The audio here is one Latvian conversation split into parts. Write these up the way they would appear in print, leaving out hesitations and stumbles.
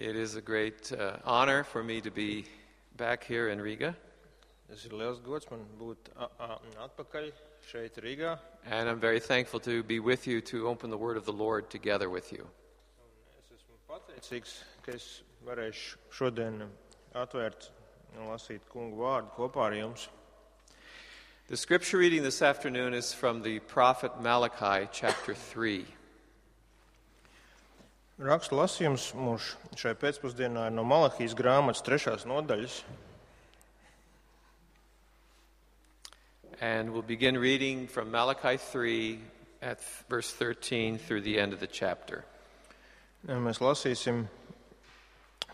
It is a great honor for me to be back here in Riga. Tas ir liels gods man būt atpakaļ šeit Rīgā. And I'm very thankful to be with you to open the word of the Lord together with you. Es esmu pateicīgs, ka es varēšu šodien atvērt un lasīt kungu vārdu kopā ar jums. The scripture reading this afternoon is from the prophet Malachi, chapter 3. Raksta lasījums mums šai pēcpusdienā ir no Malahijas grāmatas 3. nodaļas. And we'll begin reading from Malachi 3 at verse 13 through the end of the chapter. Mēs lasīsim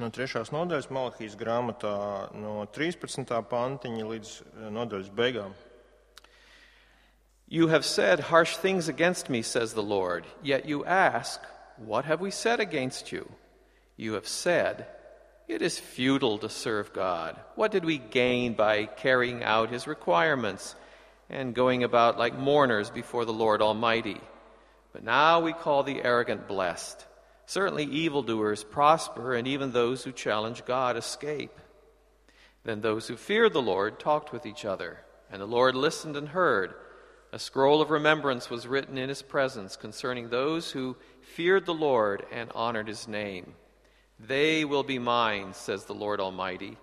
no 3. nodaļas Malahijas grāmatā no 13. pantiņa līdz nodaļas beigām. You have said harsh things against me, says the Lord, yet you ask, what have we said against you? You have said, it is futile to serve God. What did we gain by carrying out his requirements and going about like mourners before the Lord Almighty? But now we call the arrogant blessed. Certainly evildoers prosper, and even those who challenge God escape. Then those who feared the Lord talked with each other, and the Lord listened and heard. A scroll of remembrance was written in his presence concerning those who feared the Lord and honored his name. They will be mine, says the Lord Almighty,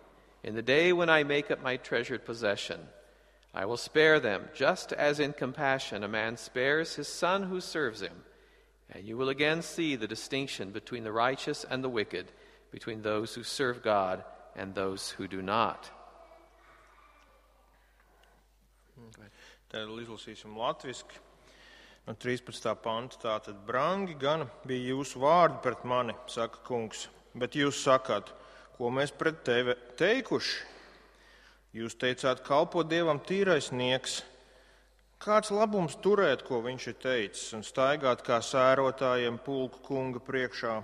in the day when I make up my treasured possession. I will spare them, just as in compassion a man spares his son who serves him. And you will again see the distinction between the righteous and the wicked, between those who serve God and those who do not. Tad izlasīsim latviski no 13. panta. Tātad, brangi gan bija jūsu vārdi pret mani, saka kungs, bet jūs sakāt, ko mēs pret tevi teikuši? Jūs teicāt, kalpo Dievam tīrais nieks. Kāds labums turēt, ko viņš ir teicis, un staigāt kā sērotājiem pulku kunga priekšā?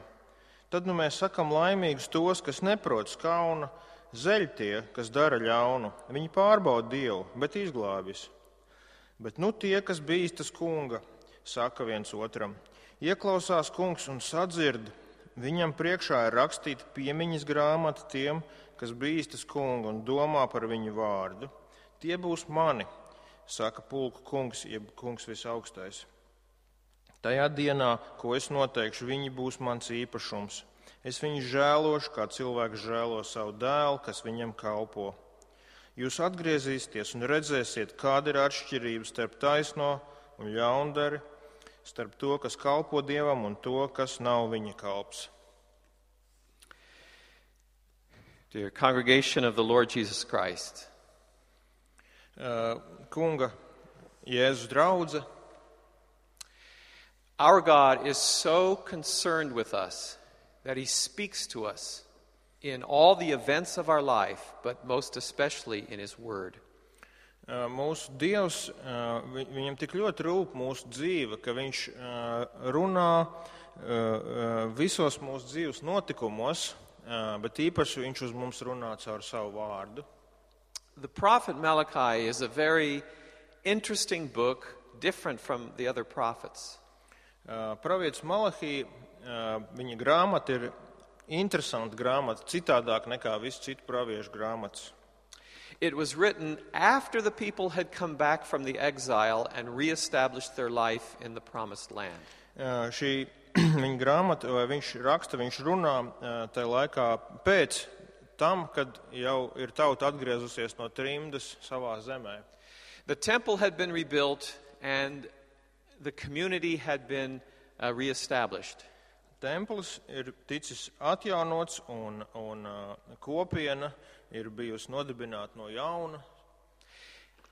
Tad nu mēs sakam laimīgus tos, kas neprot skauna, zeļ tie, kas dara ļaunu. Viņi pārbauda Dievu, bet izglābjas. Bet nu tie, kas bīstas kunga, saka viens otram, ieklausās kungs un sadzird, viņam priekšā ir rakstīta piemiņas grāmata tiem, kas bīstas kunga un domā par viņu vārdu. Tie būs mani, saka pulku kungs, jeb kungs visaugstais. Tajā dienā, ko es noteikšu, viņi būs mans īpašums. Es viņus žēlošu, kā cilvēks žēlo savu dēlu, kas viņam kalpo. Jūs atgriezīsieties un redzēsiet, kāda ir atšķirība starp taisno un ļaundari, starp to, kas kalpo Dievam un to, kas nav viņa kalps. Dear congregation of the Lord Jesus Christ, Kunga Jēzus draudze, our God is so concerned with us that he speaks to us in all the events of our life, but most especially in his word. Mūsu Dievs, viņam tik ļoti rūp mūsu dzīve, ka viņš runā visos mūsu dzīves notikumos, bet īpaši viņš uz mums runā caur savu vārdu. The prophet Malachi is a very interesting book, different from the other prophets. Pravietis Malahija, viņa grāmata ir interesanta grāmata, citādāk nekā visu citu praviešu grāmatas. It was written after the people had come back from the exile and reestablished their life in the promised land. Šī viņa grāmata, vai viņš raksta, viņš runā tajā laikā pēc tam, kad jau ir tauta atgriezusies no trimdas savā zemē. The temple had been rebuilt and the community had been reestablished. Templis ir ticis atjaunots un kopiena ir bijusi nodibināta no jauna.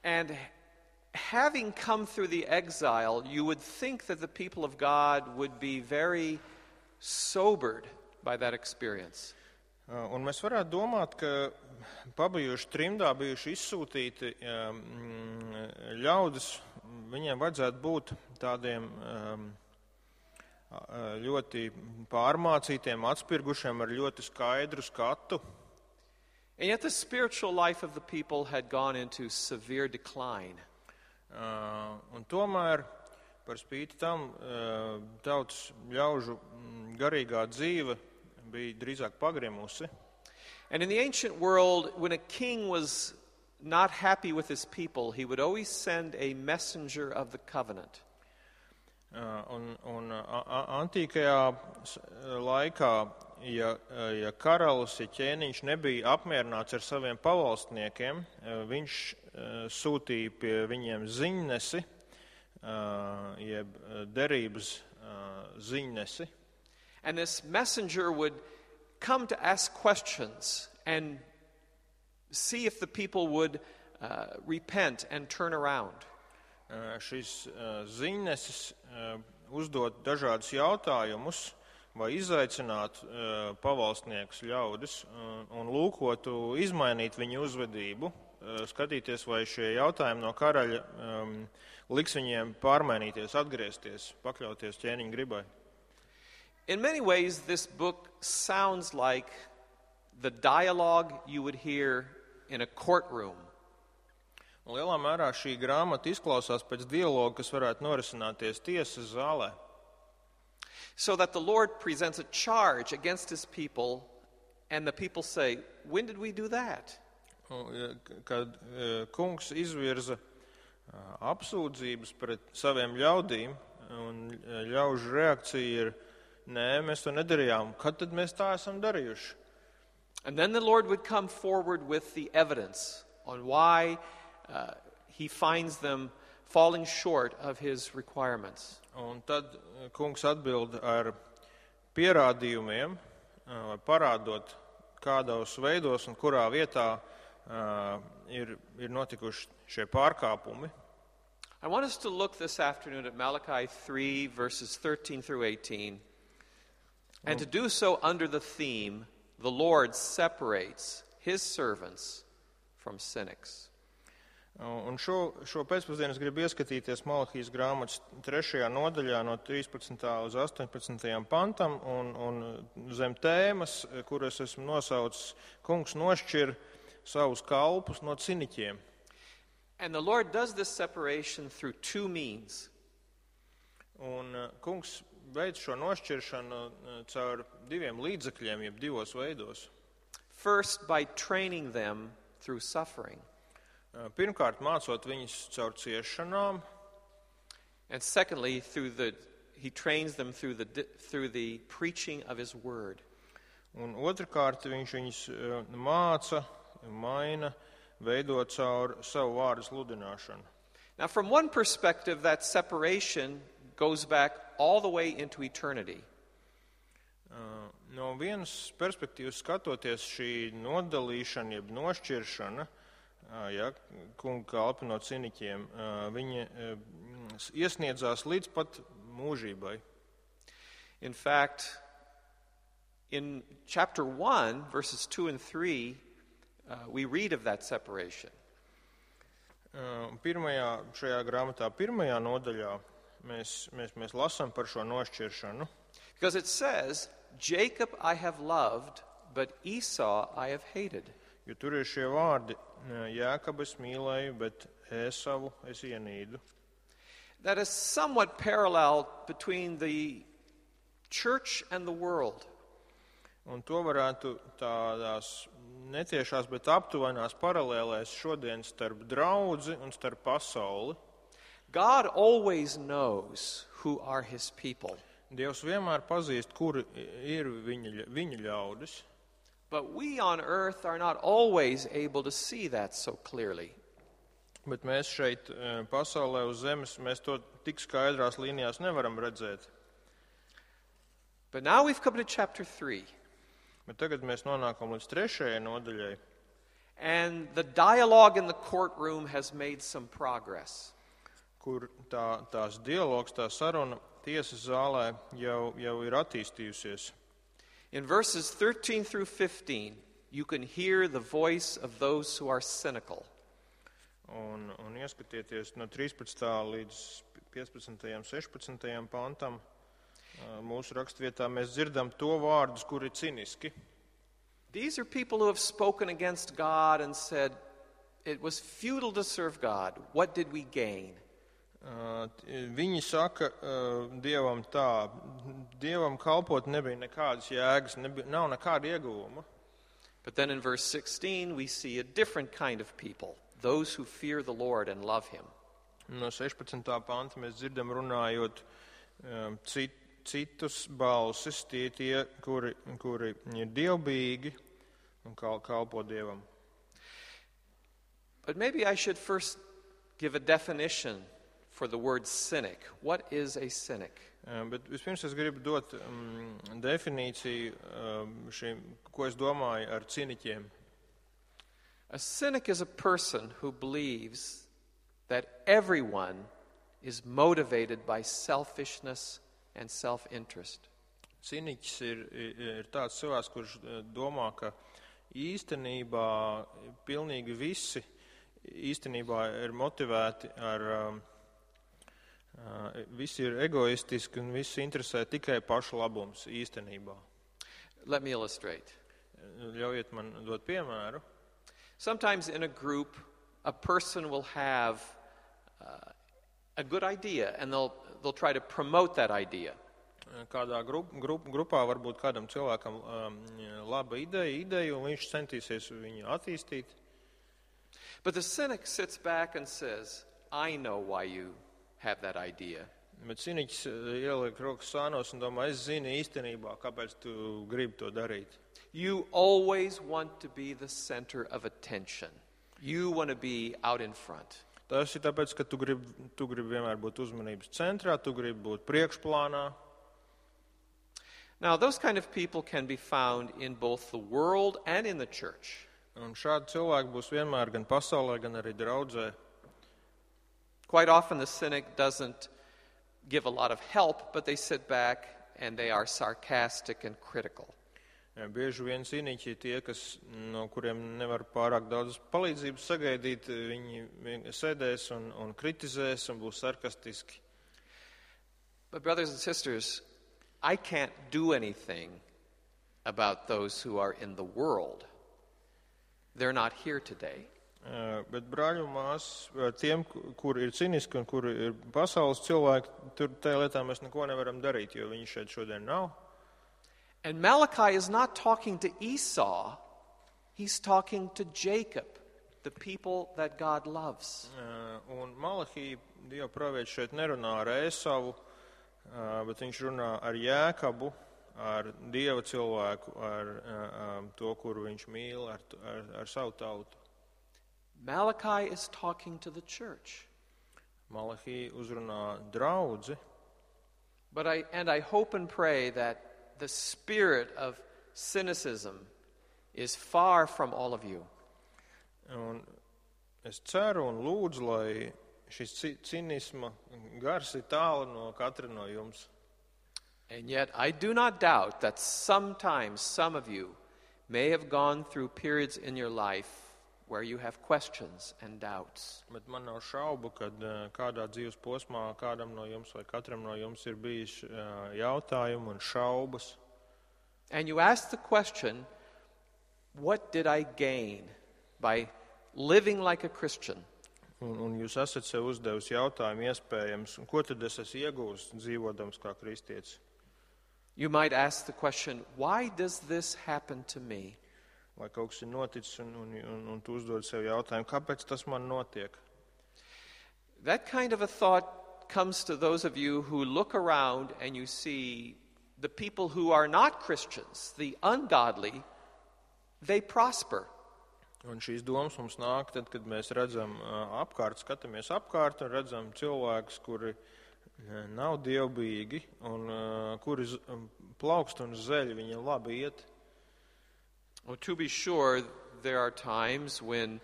And having come through the exile, you would think that the people of God would be very sobered by that experience. Un mēs varētu domāt, ka pabijuši trimdā, bijuši izsūtīti ļaudis, viņiem vajadzētu būt tādiem ļoti pārmācītiem, atspirgušiem ar ļoti skaidru skatu. And yet the spiritual life of the people had gone into severe decline. Un tomēr, par spīti tam, tautas ļaužu garīgā dzīve bija drīzāk pagrimusi. And in the ancient world, when a king was not happy with his people, he would always send a messenger of the covenant. Un antīkajā laikā, ja karalis, ja ķēniņš nebija apmierināts ar saviem pavalstniekiem, viņš sūtīja pie viņiem ziņnesi, jeb derības ziņnesi. And this messenger would come to ask questions and see if the people would repent and turn around. Šis ziņnesis uzdot dažādus jautājumus vai izaicināt pavalstniekus ļaudis un lūkotu izmainīt viņu uzvedību, skatīties, vai šie jautājumi no karaļa liks viņiem pārmainīties, atgriezties, pakļauties ķēniņa gribai. In many ways, this book sounds like the dialogue you would hear in a courtroom. Un lielā mērā šī grāmata izklausās pēc dialoga, kas varētu norisināties tiesas zālē. So that the Lord presents a charge against his people, and the people say, when did we do that? Kad kungs izvirza apsūdzības pret saviem ļaudīm, un ļaužu reakcija ir, nē, mēs to nedarījām. Kad tad mēs tā esam darījuši? And then the Lord would come forward with the evidence on why he finds them falling short of his requirements. Un tad kungs atbild ar pierādījumiem, vai parādot, kādos veidos un kurā vietā ir notikuši šie pārkāpumi. I want us to look this afternoon at Malachi 3, verses 13 through 18, and to do so under the theme, the Lord separates his servants from cynics. Un šo pēcpusdienu es gribu ieskatīties Malahijas grāmatas 3. nodaļā no 13. uz 18. pantam un zem tēmas, kuras esmu nosaucis, kungs nošķir savus kalpus no ciniķiem. And the Lord does this separation through two means. Un kungs veic šo nošķiršanu caur diviem līdzekļiem, jeb divos veidos. First, by training them through suffering. Pirmkārt, mācot viņus caur ciešanām. And secondly, he trains them through the preaching of his word. Un otrkārt, viņš viņus māca, maina, veido caur savu vārdu sludināšanu. Now, from one perspective, that separation goes back all the way into eternity. No vienas perspektīvas skatoties, šī nodalīšana, jeb nošķiršana, kunga kalpi no ciniķiem, viņi iesniedzās līdz pat mūžībai. In fact, in chapter 1, verses 2 and 3, we read of that separation. Šajā grāmatā pirmajā nodaļā mēs lasām par šo nošķiršanu. Because it says, Jacob I have loved, but Esau I have hated. Jo tur ir šie vārdi, Jākabu es mīlēju, bet Ēsavu es ienīdu. That is somewhat parallel between the church and the world. Un to varētu tādās netiešās, bet aptuvenās paralēlēs šodien starp draudzi un starp pasauli. God always knows who are his people. Dievs vienmēr pazīst, kuri ir viņa ļaudis. But we on earth are not always able to see that so clearly. Bet mēs šeit pasaulē uz zemes, mēs to tik skaidrās līnijās nevaram redzēt. But now we've come to chapter 3. Bet tagad mēs nonākam līdz 3. nodaļai. And the dialogue in the courtroom has made some progress. Kur tās dialogs, tā saruna tiesas zālē jau ir attīstījusies. In verses 13 through 15, you can hear the voice of those who are cynical. Un ieskatieties no 13. līdz 15. 16. pantam mūsu rakstvietā mēs dzirdam to vārdus, kuri ir ciniski. These are people who have spoken against God and said, it was futile to serve God. What did we gain? Viņi saka Dievam tā, Dievam kalpot nebija nekādas jēgas, nav nekāda ieguvuma. But then in verse 16 we see a different kind of people, those who fear the Lord and love him. No 16. panta mēs dzirdam runājot citus balsis, tie, kuri ir dievbīgi un kalpo Dievam. But maybe I should first give a definition for the word cynic. What is a cynic? Bet vispirms es gribu dot definīciju šim, ko es domāju ar ciniķiem. A cynic is a person who believes that everyone is motivated by selfishness and self-interest. Ciniķis ir tāds cilvēks, kurš domā, ka īstenībā pilnīgi visi īstenībā ir motivēti visi ir egoistiski un visi interesē tikai pašu labums īstenībā. Let me illustrate. Ļaujiet man dot piemēru. Sometimes in a group, a person will have a good idea and they'll try to promote that idea. Kādā grupā varbūt kādam cilvēkam laba ideja, un viņš centīsies viņu attīstīt. But the cynic sits back and says, I know why you have that idea. Bet ciniķis ieliek rokas sānos un domā, es zinu īstenībā, kāpēc tu gribi to darīt. You always want to be the center of attention. You want to be out in front. Tas ir tāpēc, ka tu gribi vienmēr būt uzmanības centrā, tu gribi būt priekšplānā. Now, those kind of people can be found in both the world and in the church. Un šādi cilvēki būs vienmēr gan pasaulē, gan arī draudzē. Quite often the cynic doesn't give a lot of help, but they sit back and they are sarcastic and critical. Bieži vien ciniķi tie, no kuriem nevar pārāk daudz palīdzības sagaidīt, viņi sēdēs un kritizēs un būs sarkastiski. But brothers and sisters, I can't do anything about those who are in the world. They're not here today. Bet brāļi un māsas, tiem, kuri ir ciniski un kuri ir pasaules cilvēki, tur tajā lietā mēs neko nevaram darīt, jo viņi šeit šodien nav. And Malachi is not talking to Esau, he's talking to Jacob, the people that God loves. Un Malahī, Dieva pravietis, šeit nerunā ar Ēsavu, bet viņš runā ar Jēkabu, ar Dieva cilvēku, ar to, kuru viņš mīl, ar savu tautu. Malachi is talking to the church. Malahī uzrunā draudzi. But I hope and pray that the spirit of cynicism is far from all of you. Un es ceru un lūdzu, lai šis cinisma gars ir tālu no katra no jums. And yet I do not doubt that sometimes some of you may have gone through periods in your life where you have questions and doubts. Bet man nav šaubu, kad kādā dzīves posmā kādam no jums vai katram no jums ir bijis jautājumi un šaubas. And you ask the question, what did I gain by living like a Christian? Un jūs esat sev uzdevusi jautājumu iespējams, ko tad es esmu iegūst dzīvodams kā kristietis? You might ask the question, why does this happen to me? Vai kaut kas ir noticis un tu uzdod sev jautājumu, kāpēc tas man notiek? That kind of a thought comes to those of you who look around and you see the people who are not Christians, the ungodly, they prosper. Un šīs domas mums nāk tad, kad mēs redzam skatāmies apkārt un redzam cilvēkus, kuri nav dievbīgi un kuri plaukst un zeļ, viņiem labi iet. Well, to be sure, there are times when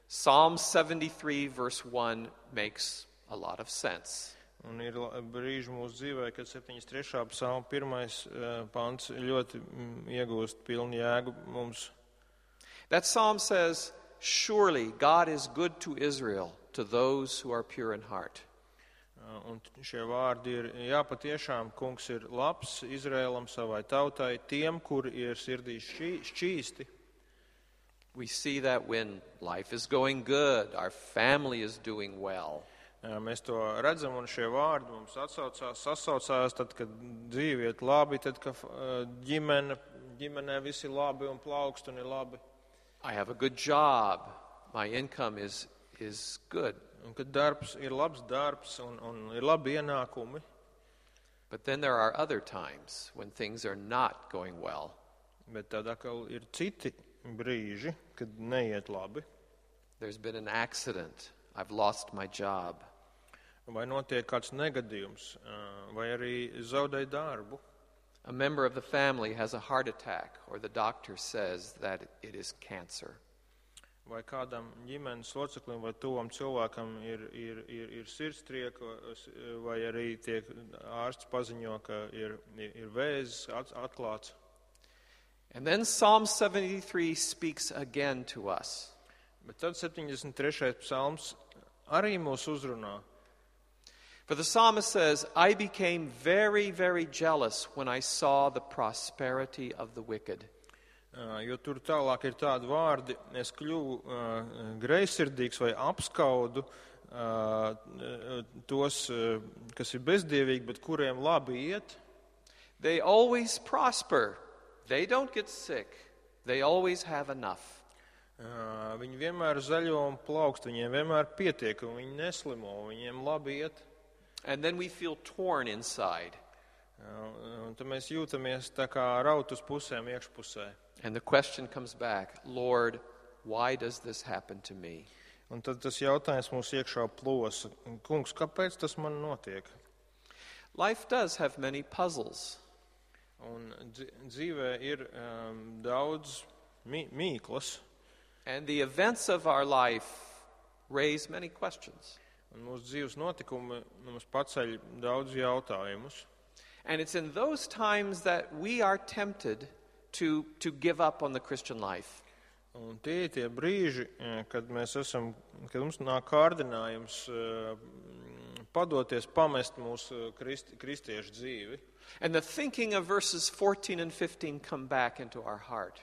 Psalm 73 verse 1 makes a lot of sense. Un ir brīži mūsu dzīvē, kad 73. psalma 1. pants ļoti iegūst pilnu jēgu mums. That psalm says, surely God is good to Israel, to those who are pure in heart. Un šie vārdi ir, jā, patiešām, kungs ir labs Izraēlam, savai tautai, tiem, kuri ir sirdīs šķīsti. We see that when life is going good, our family is doing well. Mēs to redzam, un šie vārdi mums sasaucās, tad, kad dzīve iet labi, tad, kad ģimenē viss ir labi un plaukst un ir labi. I have a good job. My income is good. Un kad darbs ir labs darbs un ir labi ienākumi. But then there are other times when things are not going well. Bet tad atkal ir citi brīži, kad neiet labi. There's been an accident. I've lost my job. Vai notiek kāds negadījums, vai arī zaudēju darbu. A member of the family has a heart attack, or the doctor says that it is cancer. Vai kādam ģimenes loceklim vai tuvam cilvēkam ir sirdstrieka, vai arī tiek ārsts paziņo, ka ir vēzis atklāts. And then Psalm 73 speaks again to us. Bet tad 73. psalms arī mūs uzrunā. For the psalmist says, I became very, very jealous when I saw the prosperity of the wicked. Jo tur tālāk ir tādi vārdi, es kļuvu greizsirdīgs vai apskaudu tos, kas ir bezdievīgi, bet kuriem labi iet. They always prosper. They don't get sick. They always have enough. Viņi vienmēr zaļo un plaukst, viņiem vienmēr pietiek, un viņi neslimo, viņiem labi iet. And then we feel torn inside. Un tad mēs jūtamies tā kā raut uz pusēm iekšpusē. And the question comes back, Lord, why does this happen to me? Un tad tas jautājums mūs iekšā plosa. Kungs, kāpēc tas man notiek? Life does have many puzzles. Un dzīvē ir daudz mīklas. And the events of our life raise many questions. Un mūsu dzīves notikumi mums paceļ daudz jautājumus. And it's in those times that we are tempted to give up on the Christian life. Un tie brīži, kad mums nāk kārdinājums padoties, pamest mūsu kristiešu dzīvi. And the thinking of verses 14 and 15 come back into our heart.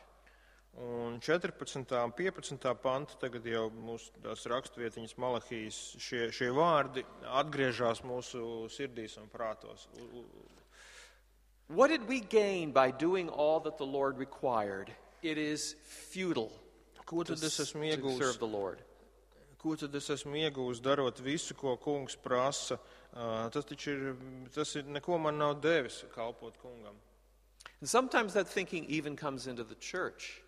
Un 14. un 15. panta tagad jau mūsu tās rakstvietiņas Malahijas šie vārdi atgriežas mūsu sirdīs un prātos. What did we gain by doing all that the Lord required? It is futile to serve the Lord. Ko tad es esmu iegūs darot visu, ko kungs prasa? Tas ir neko man nav devis kalpot kungam. And sometimes that thinking even comes into the church.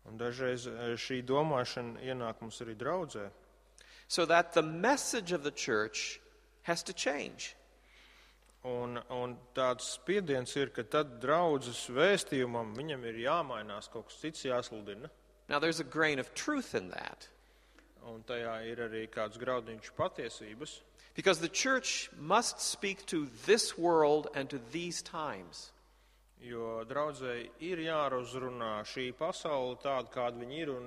Un dažreiz šī domāšana ienāk mums arī draudzē. So that the message of the church has to change. Un tāds spiediens ir, ka tad draudzes vēstījumam viņam ir jāmainās, kaut kas cits jāsludina. Now there's a grain of truth in that. Un tajā ir arī kāds graudiņš patiesības. Because the church must speak to this world and to these times. Jo draudzei ir jāruzrunā šī pasaule tāda, kāda viņa ir, un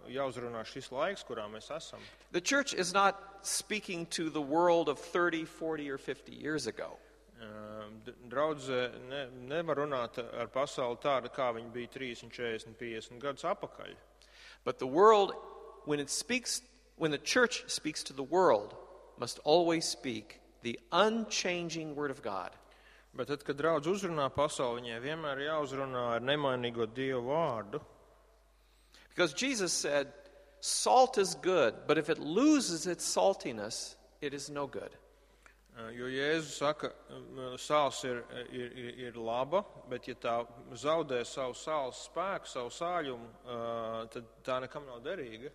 jāuzrunā šis laiks, kurā mēs esam. The church is not speaking to the world of 30, 40, or 50 years ago. Draudzē nevar runāt ar pasauli tāda, kā viņa bija 30, 40, 50 gadus apakaļ. But the world, when the church speaks to the world, must always speak the unchanging word of God. Bet tad, kad draudz uzrunā pasauli, viņai vienmēr jāuzrunā ar nemainīgo Dievu vārdu. Because Jesus said, salt is good, but if it loses its saltiness, it is no good. Jo Jēzus saka, sāls ir laba, bet ja tā zaudē savu sāls spēku, savu sāļumu, tad tā nekam nav derīga.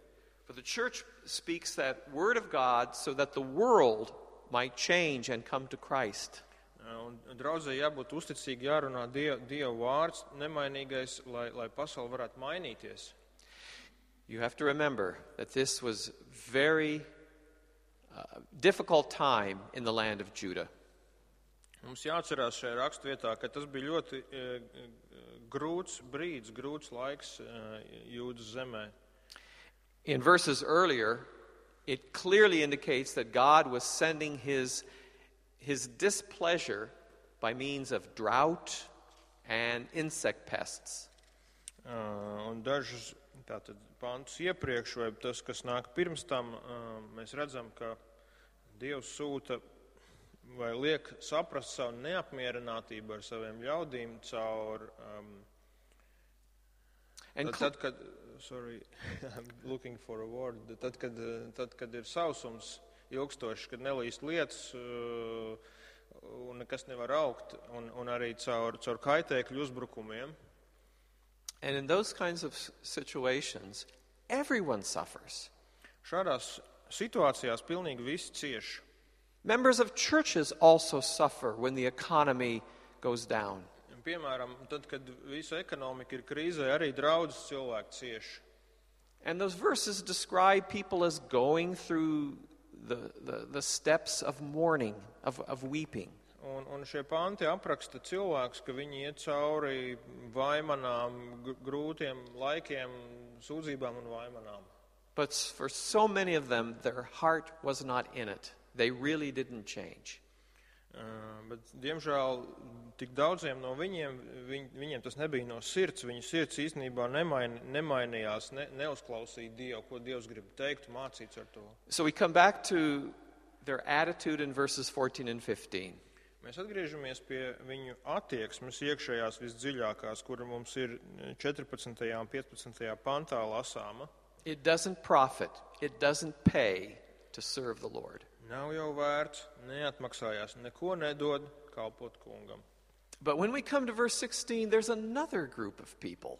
For the church speaks that word of God so that the world might change and come to Christ. Un draudzē jābūt uzticīgi, jārunā Dieva vārds, nemainīgais, lai pasaule varētu mainīties. You have to remember that this was very difficult time in the land of Judah. Mums jāatcerās šajā rakstvietā, ka tas bija ļoti grūts brīdis, grūts laiks Jūdas zemē. In verses earlier, it clearly indicates that God was sending his displeasure by means of drought and insect pests. Un dažus tātad pantus iepriekš, vai tas, kas nāk pirms tam, mēs redzam, ka Dievs sūta vai liek saprast savu neapmierinātību ar saviem ļaudīm caur tad, kad I'm looking for a word, tad, kad ir sausums ilgstošs, kad nelīst lietas un nekas nevar augt, un arī caur kaitēkļu uzbrukumiem. And in those kinds of situations, everyone suffers. Šādās situācijās pilnīgi visi cieš. Members of churches also suffer when the economy goes down. Piemēram, tad, kad visa ekonomika ir krīzē, arī draudzes cilvēki cieš. And those verses describe people as going through the steps of mourning, of weeping. Un šie panti apraksta cilvēkus, ka viņi iet cauri vaimanām, grūtiem laikiem, sūdzībām un vaimanām. But for so many of them, their heart was not in it. They really didn't change. Bet, diemžēl, tik daudziem no viņiem tas nebija no sirds. Viņu sirds īstenībā nemainījās, neuzklausīja Dievu, ko Dievs grib teikt, mācīts ar to. So we come back to their attitude in verses 14 and 15. Mēs atgriežamies pie viņu attieksmes iekšējās visdziļākās, kura mums ir 14. un 15. pantā lasāma. It doesn't profit, it doesn't pay to serve the Lord. Nav jau vērts, neatmaksājās, neko nedod kalpot kungam. But when we come to verse 16, there's another group of people.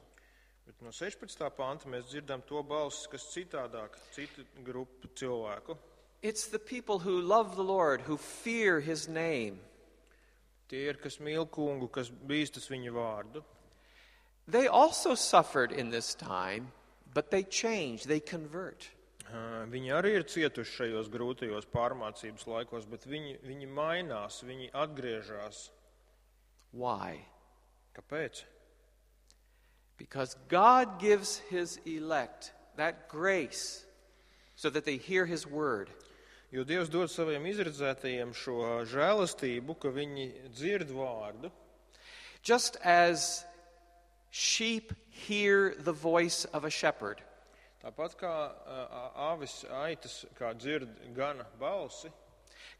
Bet no 16. panta mēs dzirdam to balsis, kas citādāk, citu grupu cilvēku. It's the people who love the Lord, who fear His name. Tie ir, kas mīl kungu, kas bīstas viņa vārdu. They also suffered in this time, but they change, they convert. Viņi arī ir cietuši šajos grūtajos pārmācības laikos, bet viņi mainās, viņi atgriežas. Why? Kāpēc? Because God gives His elect that grace so that they hear His word. Jo Dievs dod saviem izredzētajiem šo žēlastību, ka viņi dzird vārdu. Just as sheep hear the voice of a shepherd. Tāpat kā avis aitas, kā dzird gana balsi,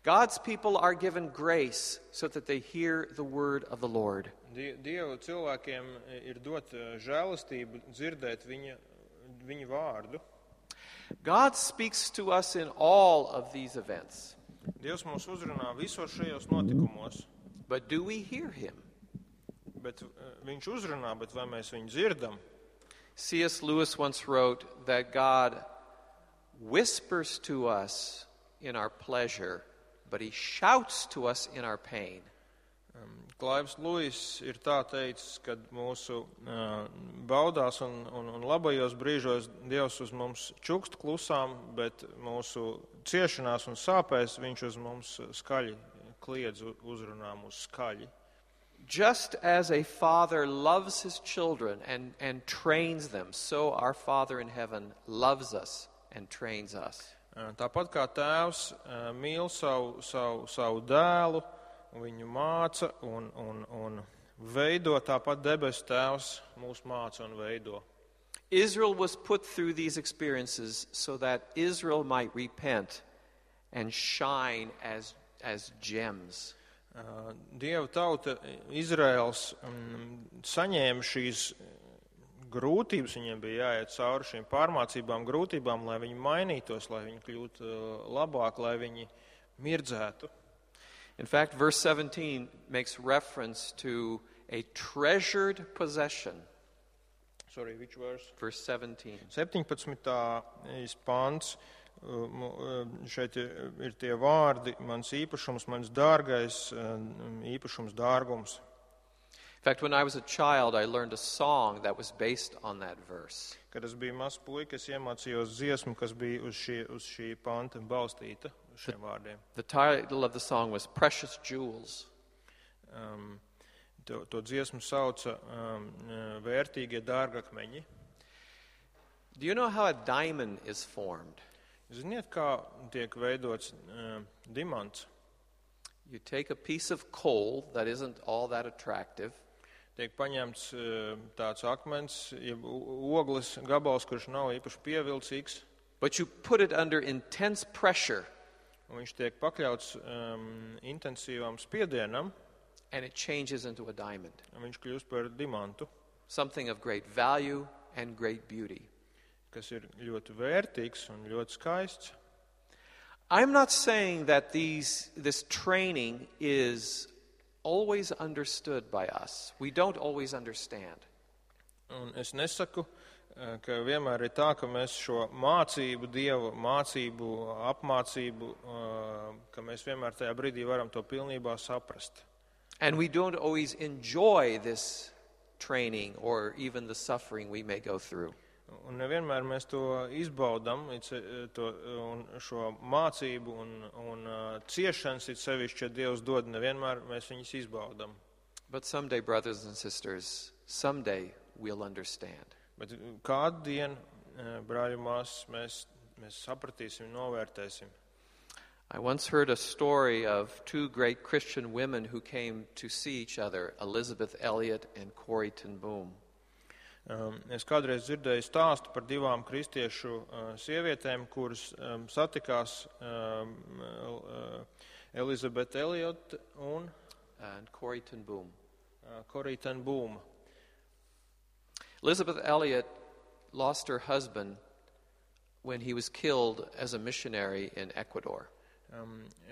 God's people are given grace so that they hear the word of the Lord. Dieva cilvēkiem ir dot žēlastību dzirdēt viņa vārdu. God speaks to us in all of these events. Dievs mūs uzrunā visos šajos notikumos. But do we hear Him? Bet viņš uzrunā, bet vai mēs viņu dzirdam? C.S. Lewis once wrote that God whispers to us in our pleasure, but He shouts to us in our pain. Klaivs Luis ir tā teicis, kad mūsu baudās un labajos brīžos Dievs uz mums čukst klusām, bet mūsu ciešanās un sāpēs viņš uz mums skaļi kliedz, uzrunā mūs skaļi. Just as a father loves his children and trains them, so our Father in heaven loves us and trains us. Tāpat kā tēvs mīl savu dēlu, viņu māca un veido, tāpat debesu tēvs mūs māca un veido. Israel was put through these experiences so that Israel might repent and shine as gems. Dieva tauta, Izraels, saņēma šīs grūtības, viņiem bija jāiet cauri šīm pārmācībām, grūtībām, lai viņi mainītos, lai viņi kļūtu labāk, lai viņi mirdzētu. In fact, verse 17 makes reference to a treasured possession. Sorry, which verse? Verse 17. 17. pants. Šeit ir tie vārdi, mans īpašums, mans dārgais īpašums, dārgums. In fact, when I was a child, I learned a song that was based on that verse. Kad es biju mazs puika, es iemācījos dziesmu, kas bija uz šī panta balstīta, uz šiem vārdiem. The title of the song was Precious Jewels. To dziesmu sauca vērtīgie dārgakmeņi. Do you know how a diamond is formed? Ziniet, kā tiek veidots dimants? You take a piece of coal that isn't all that attractive. tiek paņemts tāds akmens, jeb ogles gabals, kurš nav īpaši pievilcīgs, but you put it under intense pressure, un viņš tiek pakļauts intensīvam spiedienam, and it changes into a diamond, un viņš kļūst par dimantu, something of great value and great beauty. kas ir ļoti vērtīgs un ļoti skaists. I'm not saying that this training is always understood by us. We don't always understand. Un es nesaku, ka vienmēr ir tā, ka mēs šo mācību, Dieva mācību, apmācību, ka mēs vienmēr tajā brīdī varam to pilnībā saprast. And we don't always enjoy this training or even the suffering we may go through. Un nevienmēr mēs to izbaudam, un šo mācību un ciešanas, it sevišķi, ja Dievs dod, nevienmēr mēs viņus izbaudam. But someday, brothers and sisters, someday we'll understand. Bet kādu dienu, brāļi māsas, mēs sapratīsim, novērtēsim. I once heard a story of two great Christian women who came to see each other, Elizabeth Elliot and Corrie ten Boom. Es kādreiz dzirdēju stāstu par divām kristiešu sievietēm, kuras satikās Elizabete Elliot un Corrie ten Boom. Corrie ten Boom. Elizabeth Elliot lost her husband when he was killed as a missionary in Ecuador.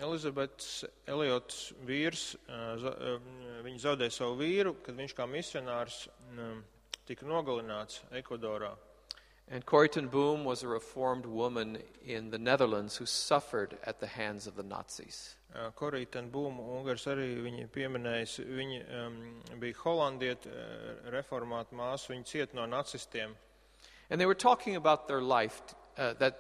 Elizabetes Eliots vīrs, viņa zaudēja savu vīru, kad viņš kā misionārs tika nogalināts Ekvadorā. And Corrie ten Boom was a reformed woman in the Netherlands who suffered at the hands of the Nazis. Corrie ten Boom, Ungars arī viņa pieminējis, viņa bija holandieta, reformāta māsa, viņa cieta no nacistiem. And they were talking about their life that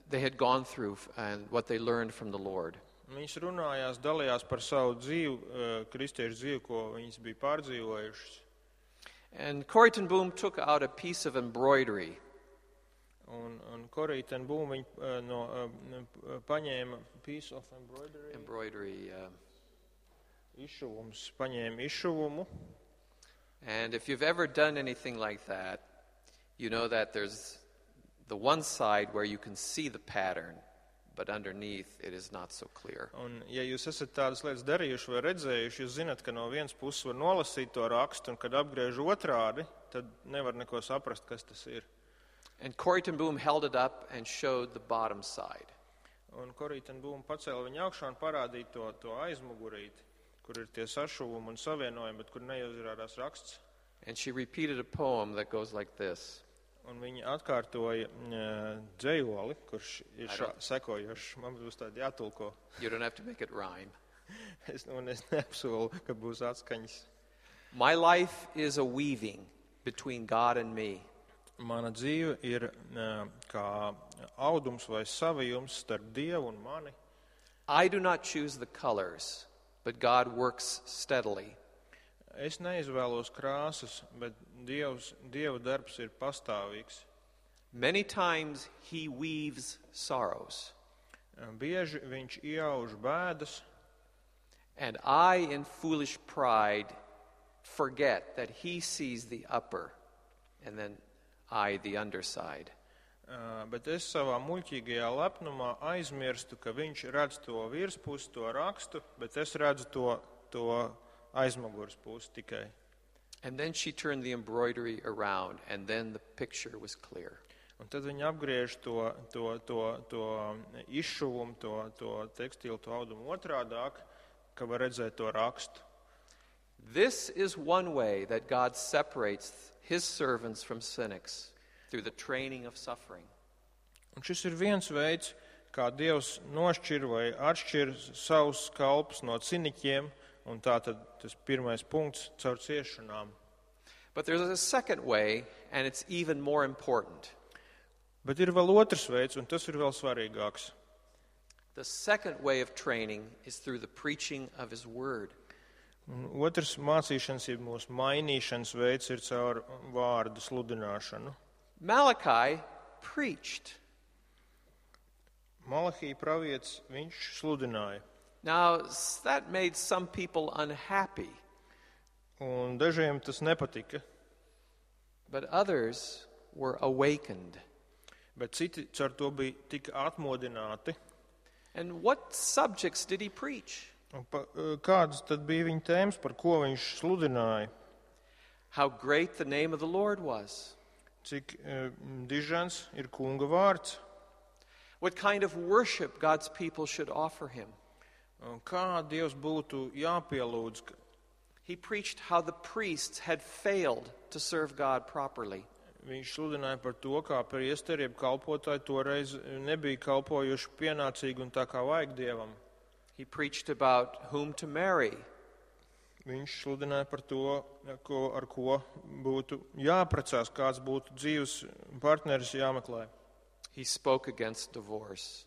they had gone through and what they learned from the Lord. Viņas runājās, dalījās par savu dzīvi, kristiešu dzīvi, ko viņas bija pārdzīvojušas. And Corrie ten Boom took out a piece of embroidery. Un Corrie ten Boom paņēma piece of embroidery. Izšuvums, paņēma izšuvumu. And if you've ever done anything like that, you know that there's the one side where you can see the pattern, but underneath it is not so clear. Un ja jūs esat tādas lietas darījuši vai redzējuši, jūs zināt, ka no vienas puses var nolasīt to rakstu, un kad apgriež otrādi, tad nevar neko saprast, kas tas ir. And Corrie ten Boom held it up and showed the bottom side. Un Corrie ten Boom pacēla viņu augšā un parādīja to aizmugurīti, kur ir tie sašuvumi un savienojumi, bet kur neuzrādās raksts. And she repeated a poem that goes like this. Un viņa atkārtoja dzejoli, kurš ir sekojošs. Man būs tādi jātulko. You don't have to make it rhyme. Es neapsolu, ka būs atskaņas. My life is a weaving between God and me. Mana dzīve ir kā audums vai savijums starp Dievu un mani. I do not choose the colors, but God works steadily. Es neizvēlos krāsas, bet Dieva darbs ir pastāvīgs. Many times he weaves sorrows. Bieži viņš iauž bēdas. And I, in foolish pride, forget that he sees the upper, and then I, the underside. Bet es savā muļķīgajā lepnumā aizmirstu, ka viņš redz to virspusi, to rakstu, bet es redzu to aizmugures pusi tikai. And then she turned the embroidery around, and then the picture was clear. Un tad viņa apgriež to izšuvumu, to tekstilu, to audumu otrādāk, ka var redzēt to rakstu. This is one way that God separates his servants from cynics, through the training of suffering. Un šis ir viens veids, kā Dievs nošķir vai atšķir savus kalpus no ciniķiem, un tā tad tas pirmais punkts caur ciešanām. But there's a second way, and it's even more important. Bet ir vēl otrs veids, un tas ir vēl svarīgāks. The second way of training is through the preaching of his word. Un otrs mācīšanas, ja mūsu mainīšanas veids ir caur vārdu sludināšanu. Malachi preached. Malahī pravietis, viņš sludināja. Now, that made some people unhappy. Un dažiem tas nepatika, but others were awakened. bet citi caur to bija tik atmodināti. And what subjects did he preach? Un kādas tad bija viņa tēmas, par ko viņš sludināja? How great the name of the Lord was. Cik dižans ir kunga vārds? What kind of worship God's people should offer him. Un kā Dievs būtu jāpielūdz? He preached how the priests had failed to serve God properly. Viņš sludināja par to, kā priesteri, jeb kalpotāji toreiz nebija kalpojuši pienācīgi un tā kā vajag Dievam. He preached about whom to marry. Viņš sludināja par to, ar ko būtu jāprecās, kāds būtu dzīves partneris jāmeklē. He spoke against divorce.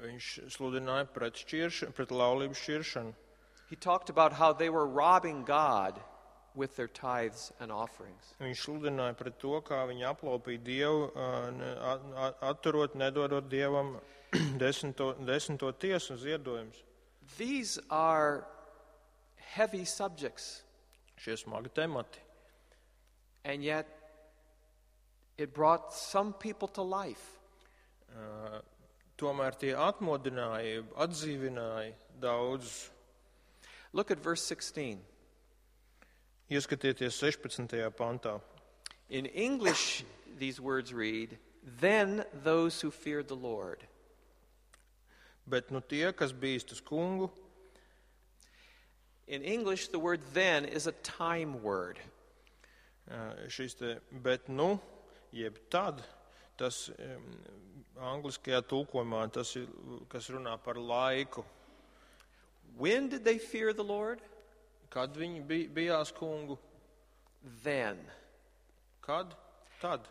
Viņš sludināja pret laulības šķiršanu. He talked about how they were robbing God with their tithes and offerings. Viņš sludināja pret to, kā viņi aplaupīja Dievu, atturot, nedodot Dievam desmito tiesu ziedojumus. These are heavy subjects, Šie smagi temati. and yet it brought some people to life. Tomēr tie atmodināja, atdzīvināja daudzus. Look at verse 16. Ieskatieties 16. pantā. In English, these words read, "Then those who feared the Lord." Bet nu tie, kas bīstas kungu, In English, the word "then" is a time word. šis te bet nu, jeb tad, tas angliskajā tulkojumā, tas ir, kas runā par laiku. When did they fear the Lord? Kad viņi bijās kungu? Then. Kad? Tad.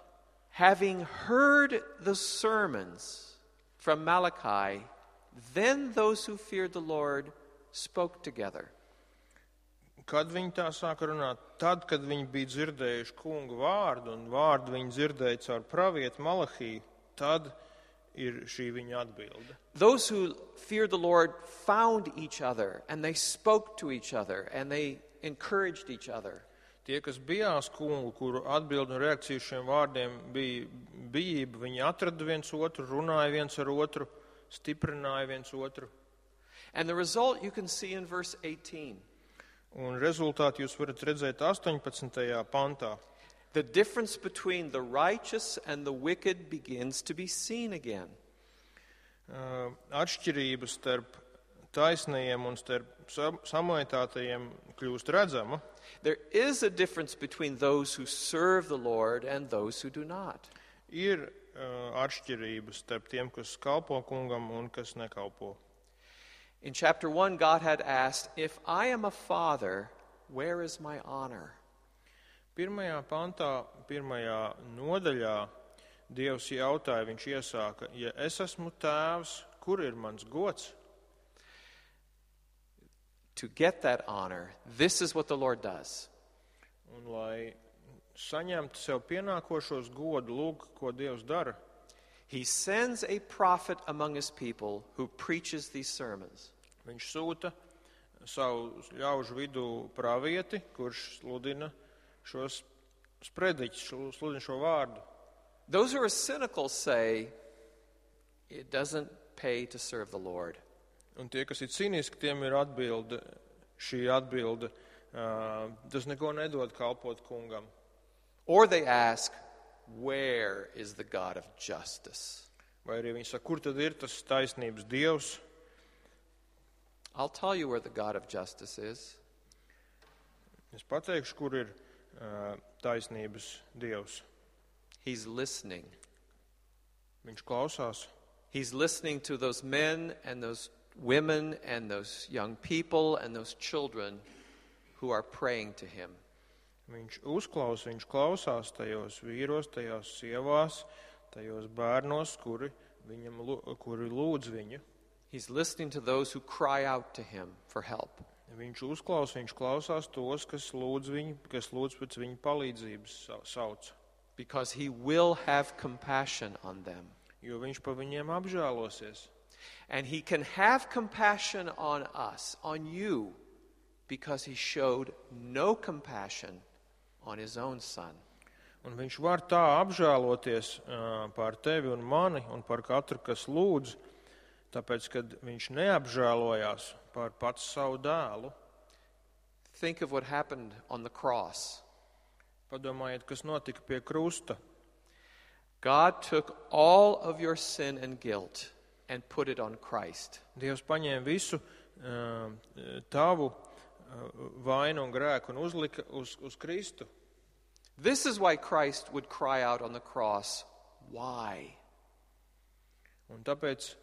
Having heard the sermons from Malachi, then those who feared the Lord spoke together. Kad viņi tā sāka runāt? Tad, kad viņi bija dzirdējuši kungu vārdu, un vārdu viņi dzirdēja caur pravietu Malahiju, tad ir šī viņa atbilde. Those who feared the Lord found each other, and they spoke to each other, and they encouraged each other. Tie, kas bijās kungu, kuru atbildi un reakcija šiem vārdiem bija bijība, viņi atrada viens otru, runāja viens ar otru, stiprināja viens otru. And the result you can see in verse 18. Un rezultāti jūs varat redzēt 18. pantā. The difference between the righteous and the wicked begins to be seen again. Atšķirības starp taisnajiem un starp samaitātajiem kļūst redzama. There is a difference between those who serve the Lord and those who do not. Ir atšķirības starp tiem, kas kalpo kungam un kas nekalpo. In chapter 1, God had asked, "If I am a father, where is my honor?" Pirmajā pantā, pirmajā nodaļā Dievs jautāja, viņš iesāka, ja es esmu tēvs, kur ir mans gods? To get that honor, this is what the Lord does. Un lai saņemtu sev pienākošos godu, lūk, ko Dievs dara. He sends a prophet among his people who preaches these sermons. Viņš sūta savu ļaužu vidū pravieti, kurš sludina šos sprediķus, sludina šo vārdu. Those who are cynical say, it doesn't pay to serve the Lord. Un tie, kas ir cīniski, tiem ir atbilde, šī atbilde, tas neko nedod kalpot kungam. Or they ask, where is the God of justice? Vai arī viņi saka, kur tad ir tas taisnības Dievs? I'll tell you where the God of justice is. Es pateikšu, kur ir taisnības Dievs. He's listening. Viņš klausās. He's listening to those men and those women and those young people and those children who are praying to him. Viņš uzklausa, viņš klausās tajos vīros, tajās sievās, tajos bērnos, kuri lūdz viņu. He's listening to those who cry out to him for help. Viņš uzklausa, viņš klausās tos, kas lūdz pēc viņa palīdzības sauc. Because he will have compassion on them. Jo viņš pa viņiem apžēlosies. And he can have compassion on us, on you, because he showed no compassion on his own son. Un viņš var tā apžēloties par tevi un mani un par katru, kas lūdz, tāpēc, kad viņš neapžēlojās par pats savu dēlu. Think of what happened on the cross. Padomājiet, kas notika pie krusta. God took all of your sin and guilt and put it on Christ. Dievs paņēma visu tavu vainu un grēku un uzlika uz Kristu. This is why Christ would cry out on the cross, "Why?" Un tāpēc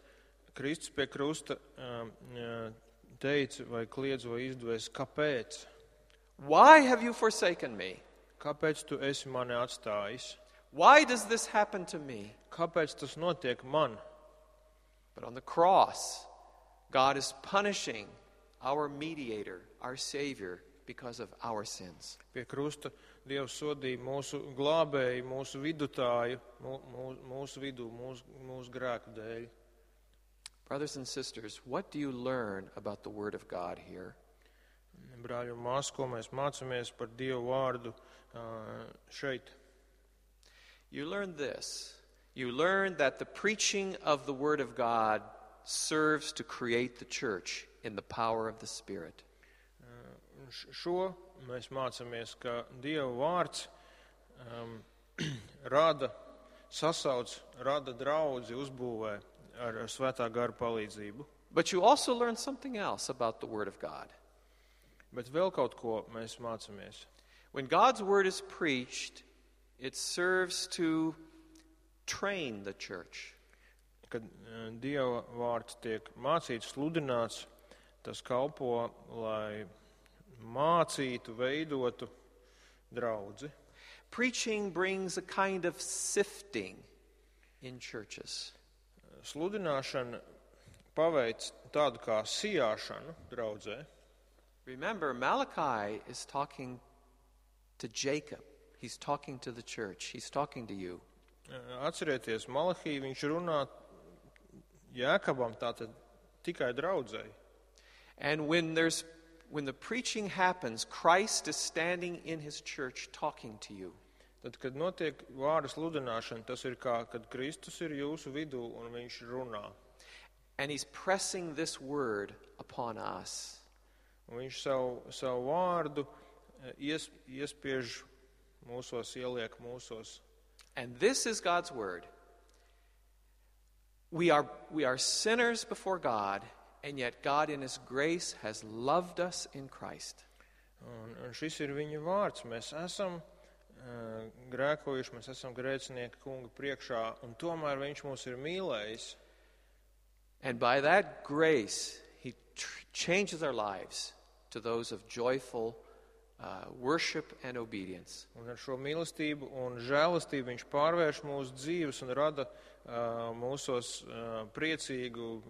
Kristus pie krusta teica vai kliedz vai izdevies, kāpēc? Why have you forsaken me? Kāpēc tu esi mani atstājis? Why does this happen to me? Kāpēc tas notiek man? But on the cross, God is punishing our mediator, our Savior, because of our sins. Pie krusta Dievs sodīja mūsu glābēju, mūsu vidutāju, mūsu vidū, mūsu grēku dēļ. Brothers and sisters, what do you learn about the Word of God here? Brāļi un māsas, ko mēs mācāmies par Dievu vārdu šeit? You learn this. You learn that the preaching of the Word of God serves to create the church in the power of the Spirit. Šo mēs mācāmies, ka Dieva vārds rada sasauc, rada draudzi, uzbūvē ar svētā gara palīdzību. But you also learn something else about the Word of God. Bet vēl kaut ko mēs mācāmies. When God's Word is preached, it serves to train the church. Kad Dieva vārds tiek mācīts, sludināts, tas kalpo, lai mācītu, veidotu draudzi. Preaching brings a kind of sifting in churches. Sludināšana paveic tādu kā sijāšanu draudzē. Remember, Malachi is talking to Jacob. He's talking to the church. He's talking to you. Atcerieties, Malahī viņš runā Jēkabam, tātad tikai draudzei. And when the preaching happens, Christ is standing in his church talking to you. Tad, kad notiek vārda sludināšana, tas ir kā, kad Kristus ir jūsu vidū un viņš runā. And he's pressing this word upon us. Un viņš savu vārdu iespiež mūsos, ieliek mūsos. And this is God's word. We are sinners before God, and yet God in his grace has loved us in Christ. Un šis ir viņa vārds. Mēs esam grēkojuši, mēs esam grēcinieki kunga priekšā, un tomēr viņš mūs ir mīlējis. And by that grace, he changes our lives to those of joyful worship and obedience. Un ar šo mīlestību un žēlastību viņš pārvērš mūsu dzīves un rada mūsos priecīgu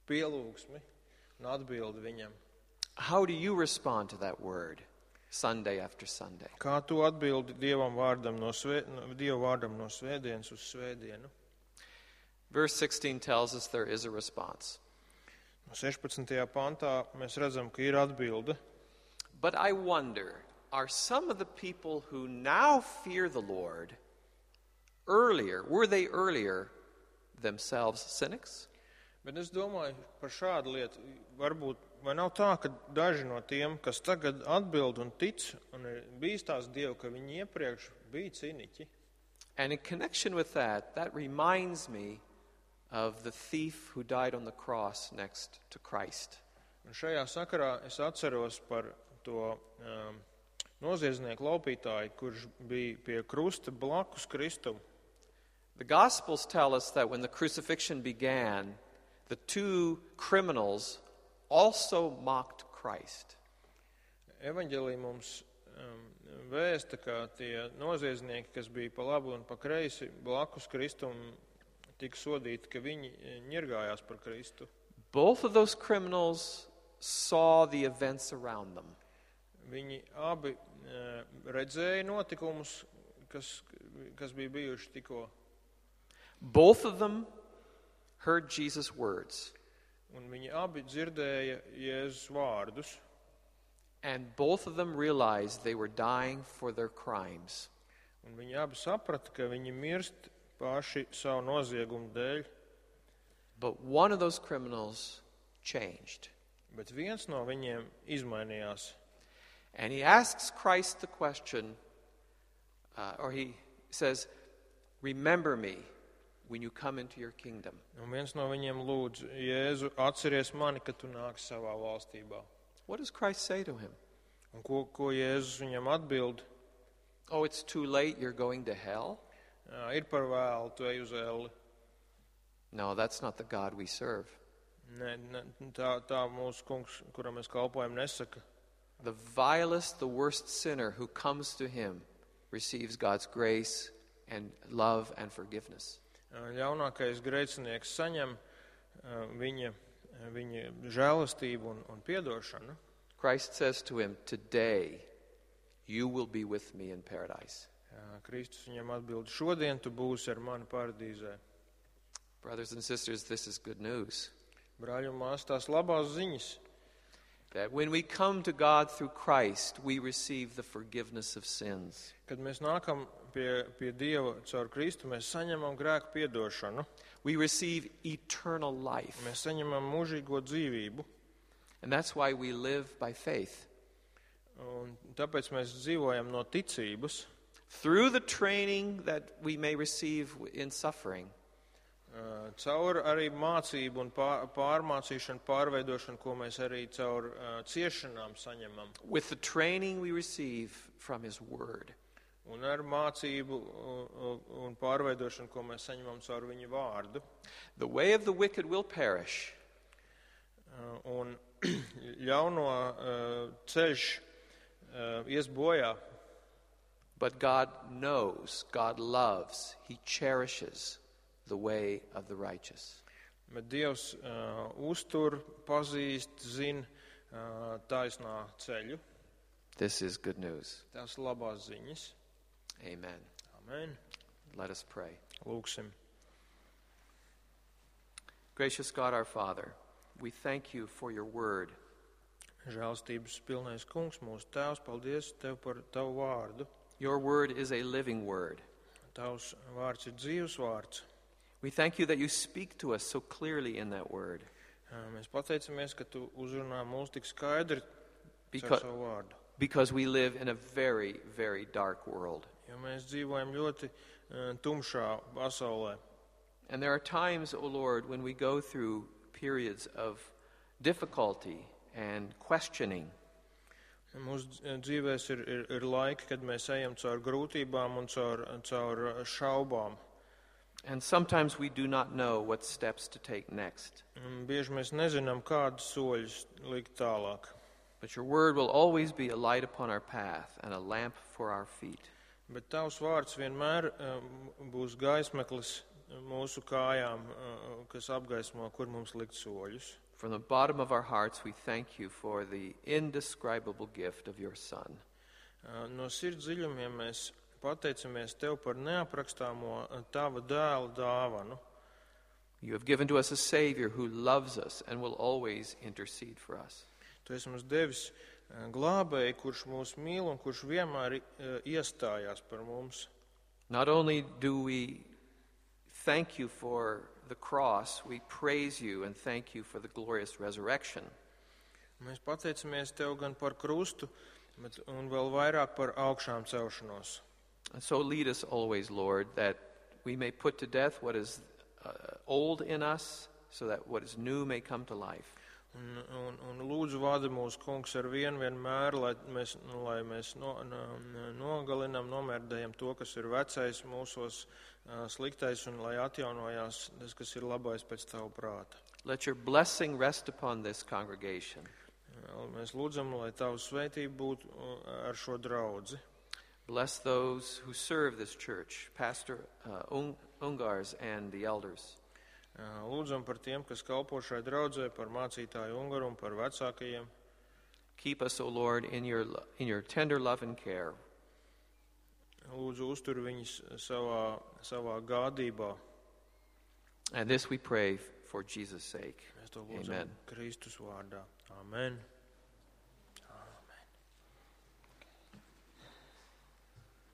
pielūgsmi un atbildi viņam. How do you respond to that word Sunday after Sunday? Kā tu atbildi Dieva vārdam no svētdienas uz svētdienu? Verse 16 tells us there is a response. No 16. pantā mēs redzam, ka ir atbilde. But I wonder, are some of the people who now fear the Lord were they earlier themselves cynics? Bet es domāju par šādu lietu. Varbūt, vai nav tā, ka daži no tiem, kas tagad atbild un tic un ir bīstās Dievu, ka viņi iepriekš bija ciniķi. And in connection with that reminds me of the thief who died on the cross next to Christ. Un šajā sakarā es atceros par to noziedznieku laupītāju, kurš bija pie krusta blakus Kristum. The Gospels tell us that when the crucifixion began, the two criminals also mocked Christ. Evaņģēlī mums vēsta, ka tie noziedznieki, kas bija pa labi un pa kreisi blakus Kristum, tika sodīti, ka viņi ņirgājās par Kristu. Both of those criminals saw the events around them. Viņi abi redzēja notikumus, kas bija bijuši tikko. Both of them heard Jesus' words. Un viņi abi dzirdēja Jēzus vārdus. And both of them realized they were dying for their crimes. Un viņi abi saprata, ka viņi mirst paši savu noziegumu dēļ. But one of those criminals changed. Bet viens no viņiem izmainījās. And he asks Christ the question, or he says, "Remember me when you come into your kingdom." Un viens no viņiem lūdz Jēzu, atceries mani, kad tu nāksi savā valstībā. What does Christ say to him? Un ko Jēzus viņam atbild? Oh, it's too late, you're going to hell? Ir par vēlu, tu ej uz elli. No, that's not the God we serve. Tā mūsu kungs, kuram mēs kalpojam, nesaka. The vilest, the worst sinner who comes to him receives God's grace and love and forgiveness. Ļaunākais grēcinieks saņem viņa žēlastību un piedošanu. Christ says to him, "Today you will be with me in paradise." Kristus viņam atbild, šodien tu būsi ar mani paradīzē. Brothers and sisters, this is good news. Brāļi un māsas, tās labās ziņas. That when we come to God through Christ, we receive the forgiveness of sins. Kad mēs nākam pie Dieva caur Kristu, mēs saņemam grēku piedošanu. We receive eternal life. Mēs saņemam mūžīgo dzīvību. And that's why we live by faith. Un tāpēc mēs dzīvojam no ticības. Through the training that we may receive in suffering. Caur arī mācību un pārmācīšanu, pārveidošanu, ko mēs arī caur ciešanām saņemam. With the training we receive from His Word. Un ar mācību un pārveidošanu, ko mēs saņemam caur viņa vārdu. The way of the wicked will perish. Un ļauno ceļš ies bojā. But God knows, God loves, He cherishes the way of the righteous. Bet Dievs uztur, pazīst, zina taisnā ceļu. This is good news. Tās labās ziņas. Amen. Amen. Let us pray. Lūksim. Gracious God our Father, we thank you for your word. Žēlstības pilnais kungs, mūsu tēvs, paldies tev par tavu vārdu. Your word is a living word. Tavs vārds ir dzīvs vārds. We thank you that you speak to us so clearly in that word. Mēs pateicamies, ka tu uzrunā mūs tik skaidri ar savu vārdu. Because we live in a very, very dark world. Jo mēs dzīvojam ļoti tumšā pasaulē. And there are times, O Lord, when we go through periods of difficulty and questioning. Mūsu dzīvēs ir laiki, kad mēs ejam caur grūtībām un caur šaubām. And sometimes we do not know what steps to take next. Bieži mēs nezinām, kādus soļus likt tālāk. But your word will always be a light upon our path and a lamp for our feet. Bet tavs vārds vienmēr būs gaismeklis mūsu kājām, kas apgaismo, kur mums likt soļus. From the bottom of our hearts, we thank you for the indescribable gift of your Son. No sirds dziļumiem mēs pateicamies tev par neaprakstāmo tava dēla dāvanu. You have given to us a Savior who loves us and will always intercede for us. Tu esi mums devis glābēju, kurš mūs mīl un kurš vienmēr iestājās par mums. Not only do we thank you for the cross, we praise you and thank you for the glorious resurrection. Mēs pateicamies tev gan par krustu, un vēl vairāk par augšām celšanos. And so lead us always, Lord, that we may put to death what is old in us, so that what is new may come to life. Un lūdzu vada mūsu kungs ar vienmēr, lai mēs nogalinām, nomērdējam to, kas ir vecais mūsos, sliktais, un lai atjaunojās tas, kas ir labais pēc tavu prāta. Let your blessing rest upon this congregation. Mēs lūdzam, lai tavu svētību būtu ar šo draudzi. Bless those who serve this church, Pastor Ungars and the elders. Lūdzam par tiem, kas kalpo šai draudzē, par mācītāju Ungaru un par vecākajiem. Keep us, O Lord, in your tender love and care. Lūdzu, uztur viņus savā gādībā. And this we pray for Jesus' sake. Mēs to lūdzam Amen. Kristus vārdā. Amen.